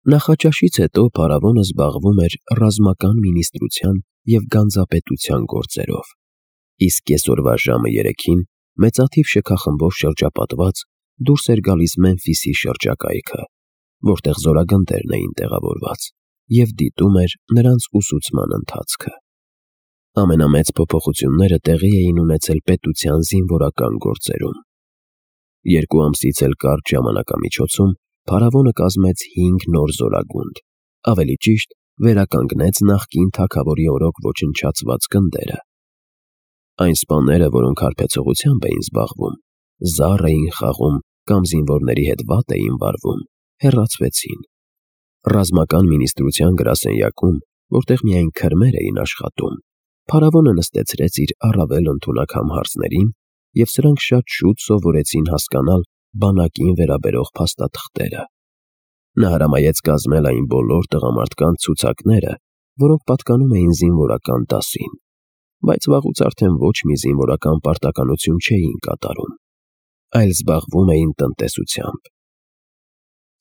Նախաճաշից հետո փարավոնը զբաղվում էր ռազմական մինիստրության և գանձապետության գործերով, իսկ կեսօրվա ժամը 3-ին մեծաթիվ շքախմբով շրջապատված դուրս էր գալիս Մեմֆիսի շրջակայքը, որտեղ զորագնդերն էին տեղավորված, և դիտում էր նրանց ուսուցման ընթացքը։ Ամենամեծ փոփոխությունները տեղի էին ունեցել պետության զինվորական գործերում։ 2 ամսից էլ կարճ ժամանակամիջոցում փարավոնը կազմեց 5 նոր զորագունդ, ավելի ճիշտ վերականգնեց նախկին թագավորի օրոք ոչնչացված գնդերը։ Այն սպաները, որոնք հարբեցողությամբ էին զբաղվում, զառ էին խաղում կամ զինվորների հետ վատ էին վարվում, հեռացվեցին։ Ռազմական մինիստրության գրասենյակում, որտեղ միայն քրմեր էին աշխատում, փարավոնը նստեցրեց իր առավել ընդունակ համհարձներին, և սրանք շատ շուտ սովորեցին հասկանալ բանակին վերաբերող փաստաթղթերը։ Նա հրամայեց կազմել այն բոլոր տղամարդկանց ցուցակները, որոնք պատկանում էին զինվորական դասին, բայց վաղուց արդեն ոչ մի զինվորական պարտականություն չէին կատարում, այլ զբաղվում էին տնտեսությամբ։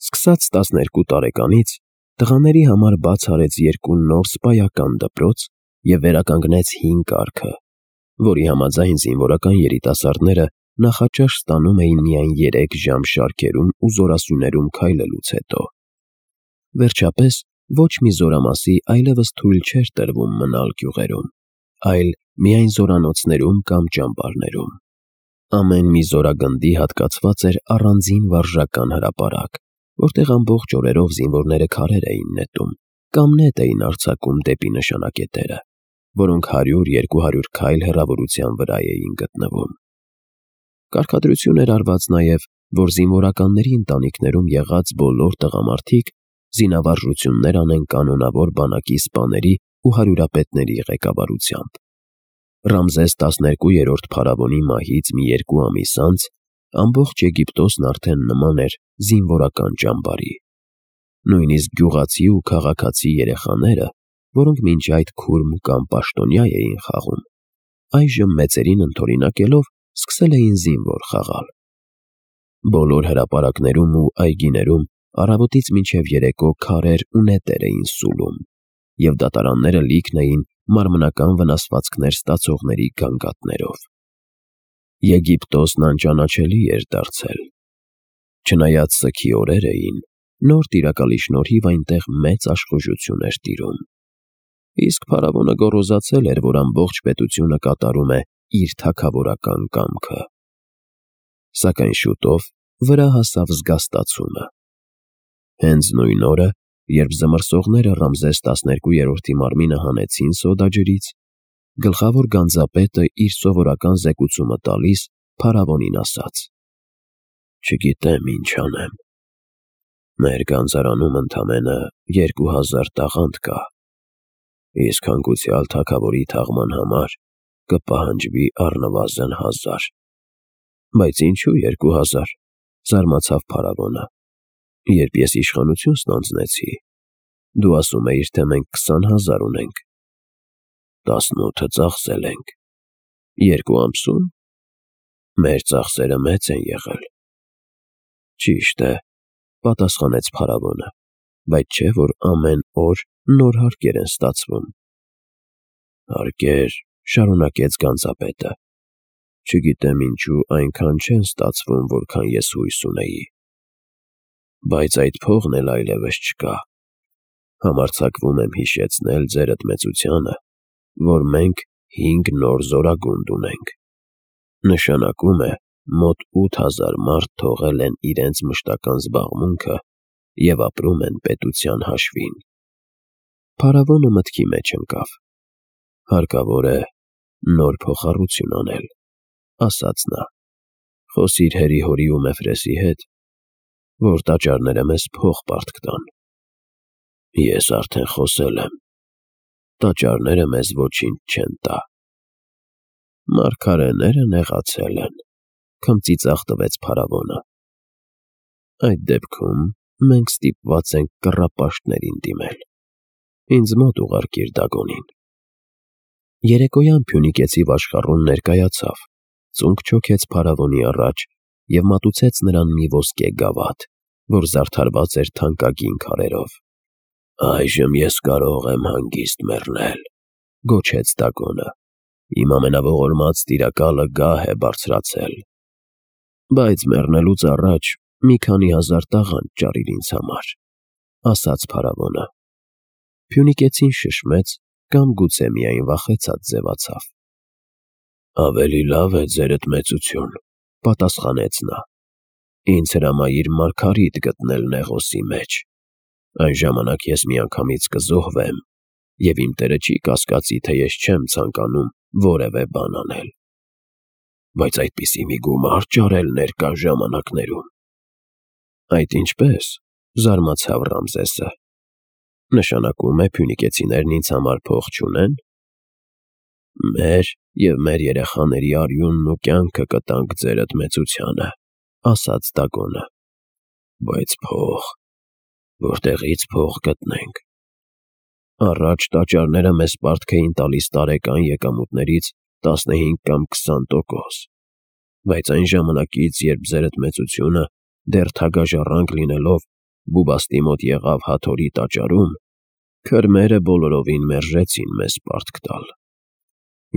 Սկսած 12 տարեկանից տղաների համար բաց արեց 2 նոր սպայական դպրոց և վերականգնեց հին կարգը, որի համաձայն զինվորական երիտասարդները նախաճաշ ստանում էին միայն 3 ժամ շարքերում ու զորասյուներում քայլելուց հետո։ Վերջապես, ոչ մի զորամասի այլևս թույլ չէր տրվում մնալ գյուղերում, այլ միայն զորանոցներում կամ ճամբարներում։ Ամեն մի զորագնդի հատկացված էր առանձին վարժական հրապարակ, որտեղ ամբողջ օրերով զինվորները քարեր էին նետում կամ նետ էին արձակում դեպի նշանակետերը, որոնք 100-200 քայլ հեռավորության վրա էին գտնվում։ Կարգադրություն էր արված նաև, որ զինվորականների ընտանիքներում եղած բոլոր տղամարդիկ զինավարժություններ անեն կանոնավոր բանակի սպաների ու հարյուրապետների ղեկավարությամբ։ Ռամզես 12-րդ փարավոնի մահից մի 2 ամիս անց ամբողջ Եգիպտոսն արդեն նման էր զինվորական ճամբարի։ Նույնիսկ գյուղացի ու քաղաքացի երեխաները, որոնք մինչ այդ քուրմ կամ պաշտոնյա էին խաղում, այժմ մեծերին ընդօրինակելով սկսել էին զինվոր խաղալ։ Բոլոր հրապարակներում ու այգիներում առավոտից մինչև երեկո քարեր ու նետեր էին սուլում, և դատարանները լիքն էին մարմնական վնասվածքներ ստացողների գանգատներով։ Եգիպտոսն անճանաչելի էր դարձել։ Չնայած սգի օրեր էին, նոր տիրակալի շնորհիվ այնտեղ մեծ աշխուժություն էր տիրում։ Իսկ փարավոնը գոռոզացել էր, որ ամբողջ պետությունը կատարում է իր թագավորական կամքը։ Սակայն շուտով վրա հասավ զգաստացումը։ Հենց նույն օրը, երբ զմռսողները Ռամզես 12-րդի մարմինը հանեցին սոդաջրից, գլխավոր գանձապետը իր սովորական զեկուցումը տալիս փարավոնին ասաց. «Չգիտեմ ինչ անեմ։ Մեր գանձարանում ընդամենը 2000 տաղանդ կա, իսկ հանգուցյալ թագավորի թաղման համար կպահանջվի առնվազն 1000։ Բայց ինչու 2000, զարմացավ փարավոնը, երբ ես իշխանություն ստանձնեցի, դու ասում էիր, թե մենք 20,000 ունենք, 18-ը ծախսել ենք, 2 ամսո՞ւմ։ Մեր ծախսերը մեծ են եղել»։ Ճիշտ է, պատասխանեց փարավոնը, բայց չէ՞ որ ամեն օր նոր հարկեր են ստացվում։ Հարկեր, շարունակեց գանձապետը, չգիտեմ ինչու այնքան չեն ստացվում, որքան ես հույս ունեի։ Բայց այդ փողն էլ այլևս չկա։ Համարձակվում եմ հիշեցնել ձերդ մեծությանը, որ մենք 5 նոր զորագունդ ունենք։ Նշանակում է, մոտ 8000 մարդ թողել են իրենց մշտական զբաղմունքը և ապրում են պետության հաշվին։ Փարավոնը մտքի մեջ ընկավ։ Հարկավոր է նոր փոխառություն անել, ասաց նա։ Խոսիր հերի-հորի ու Մեֆրեսի հետ, որ տաճարները մեզ փող պարտք տան։ Ես արդեն խոսել եմ, տաճարները մեզ ոչինչ չեն տա։ Մարգարեները նեղացել են, քմծիծաղ տվեց փարավոնը։ Այդ դեպքում մենք ստիպված ենք կռապաշտներին դիմել։ Ինձ մոտ ուղարկիր Դագոնին։ Երեկոյան Փյունիկեցի վաշխառուն ներկայացավ, ծունկ չոքեց փարավոնի առաջ և մատուցեց նրան մի ոսկե գավաթ, որ զարդարված էր թանկագին քարերով։ «Այժմ ես կարող եմ հանգիստ մեռնել», գոչեց Դագոնը։ «Իմ ամենաողորմած տիրակալը գահ է բարձրացել։ Բայց մեռնելուց առաջ մի քանի հազար տաղանդ ճարիր ինձ համար», ասաց փարավոնը։ Փյունիկեցին շշմեց կամ գուցե միայն վախեցած ձևացավ։ «Ավելի լավ է, ձերդ մեծություն», պատասխանեց նա։ «Ինձ հրամայիր մարգարիտ գտնել Նեղոսի մեջ։ Այն ժամանակ ես միանգամից կզոհվեմ, և իմ տերը չի կասկածի, թե ես չեմ ցանկանում որևէ բան անել»։ «Բայց այդպիսի մի գումար ճարել ներկա ժամանակներում»։ «Այդ ինչպե՞ս», զարմացավ Ռամզեսը։ «Նշանակում է փյունիկեցիներն ինձ համար փող չունեն»։ «Մեր և մեր երեխաների արյունն ու կյանքը կտանք ձերդ մեծությանը», ասաց Դագոնը։ «Բայց փող… որտեղի՞ց փող գտնենք։ Առաջ տաճարները մեզ պարտք էին տալիս տարեկան եկամուտներից 15 կամ 20%, բայց այն ժամանակից, երբ ձերդ մեծությունը դեռ թագաժառանգ լինելով Բուբաստի մոտ եղավ Հաթորի տաճարում, քրմերը բոլորովին մերժեցին մեզ պարտք տալ։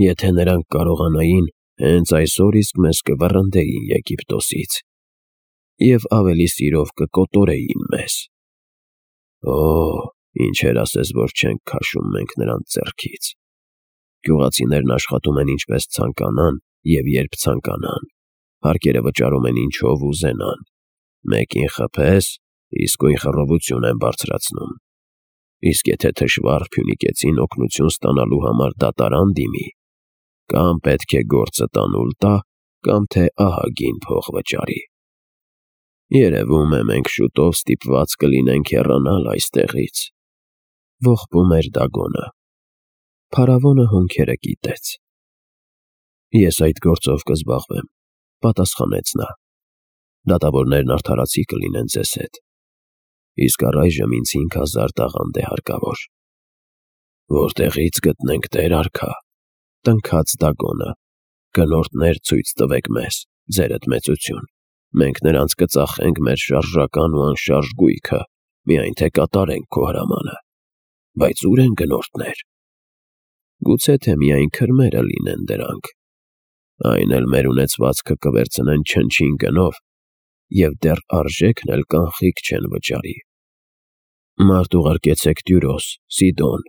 Եթե նրանք կարողանային, հենց այսօր իսկ մեզ կվռնդեին Եգիպտոսից և ավելի սիրով կկոտորեին մեզ։ Օ՜, ինչեր ասես, որ չենք քաշում մենք նրանց ձեռքից։ Գյուղացիներն աշխատում են ինչպես ցանկանան և երբ ցանկանան, հարկերը վճարում են ինչով ուզենան, մեկին խփես, իսկույն խռովություն են բարձրացնում։ Իսկ եթե թշվառ փյունիկեցին օգնություն ստանալու համար դատարան դիմի, կամ պետք է գործը տանուլ տա, կամ թե ահագին փող վճարի։ Երևում է, մենք շուտով ստիպված կլինենք հեռանալ այստեղից», ողբում էր Դագոնը։ Փարավոնը հոնքերը կիտեց։ «Ես այդ գործով կզբաղվեմ», պատասխանեց նա։ «Դատավորներն արդարացի կլինեն ձեզ հետ։ Իսկ առայժմ ինձ 5000 տաղանդ է հարկավոր»։ «Որտեղի՞ց գտնենք, տեր արքա», տնքաց Դագոնը։ «Գնորդներ ցույց տվեք մեզ, ձերդ մեծություն, մենք նրանց կծախենք մեր շարժական ու անշարժ գույքը, միայն թե կատարենք քո հրամանը։ Բայց ո՞ւր են գնորդներ։ Գուցե թե միայն քրմերը լինեն դրանք։ Այն էլ մեր ունեցվածքը կվերցնեն չնչին գնով, և դեռ արժեքն էլ կանխիկ չեն վճարի։ Մարդ ուղարկեցեք Տյուրոս, Սիդոն։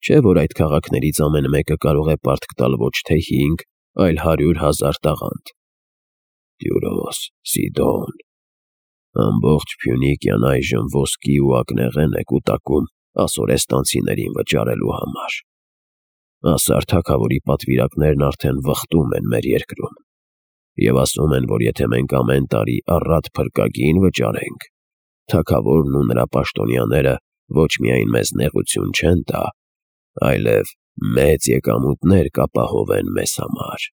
Չէ՞ որ այդ քաղաքներից ամեն մեկը կարող է պարտք տալ ոչ թե 5, այլ 100,000 տաղանդ։ Տյուրոս, Սիդոն… Ամբողջ Փյունիկիան այժմ ոսկի ու ակնեղեն է կուտակում ասորեստանցիներին վճարելու համար։ Ասար թագավորի պատվիրակներն արդեն վխտում են մեր երկրում և ասում են, որ եթե մենք ամեն տարի առատ փրկագին վճարենք, թագավորն ու նրա պաշտոնյաները ոչ միայն մեզ նեղություն չեն տա, այլև մեծ եկամուտներ կապահովեն մեզ համար,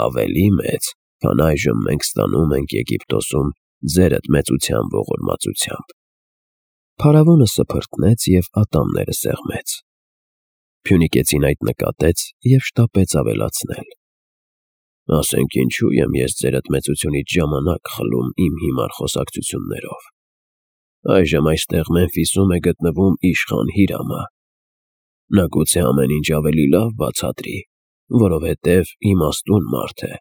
ավելի մեծ, քան այժմ մենք ստանում ենք Եգիպտոսում ձերդ մեծության ողորմածությամբ։ Փարավոնը սփռտնեց և ատամները սեղմեց։ Փյունիկեցին այդ նկատեց և շտապեց ավելացնել. «Ասենք ինչու եմ ես ձերդ մեծությունից ժամանակ խլում իմ հիմար խոսակցություններով։ Այժմ այստեղ Մեմֆիսում է գտնվում իշխան Հիրամը։ Նա գուցե ամեն ինչ ավելի լավ բացատրի, որովհետև իմաստուն մարդ է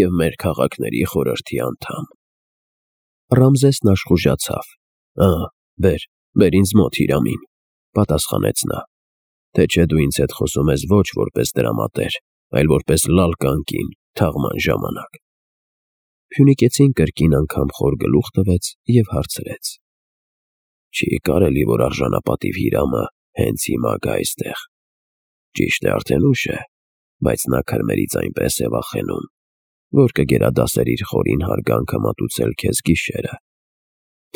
և մեր քաղաքների խորհրդի անդամ»։ Ռամզեսն աշխուժացավ։ Բեր ինձ մոտ Հիրամին», պատասխանեց նա։ «Թե չէ դու ինձ հետ խոսում ես ոչ որպես դրամատեր, այլ որպես լալկան կին թաղման ժամանակ»։ Փյունիկեցին կրկին անգամ խոր գլուխ տվեց և հարցրեց. «Չի կարելի, որ արժանապատիվ Հիրամը հենց հիմա գա այստեղ։ Ճիշտ է, արդեն ուշ է, բայց նա քրմերից այնպես է վախենում, որ կգերադասեր իր խորին հարգանքը մատուցել քեզ գիշերը»։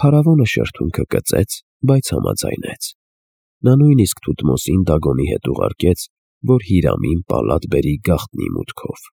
Փարավոնը շրթունքը կծեց, բայց համաձայնեց։ Նա նույնիսկ Թութմոսին Դագոնի հետ ուղարկեց, որ Հիրամին պալատ բերի գաղտնի մուտքով։